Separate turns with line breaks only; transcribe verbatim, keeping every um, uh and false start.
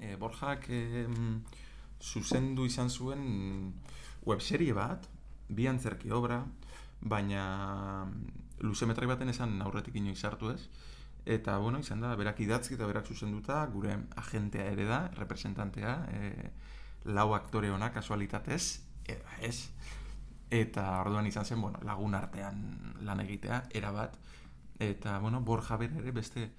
e, Borjak e, zuzendu izan zuen webserie bat, bi antzerki obra, baina luzemetrai baten esan aurretik inoiz sartu ez. Eta, bueno, izan da, berak idatzi eta berak zuzenduta, gure agentea ere da, representantea, e, lau aktore ona kasualitatez, eta ez. Eta orduan izan zen, bueno, lagun artean lan egitea, erabat. Eta, bueno, Borja bere ere beste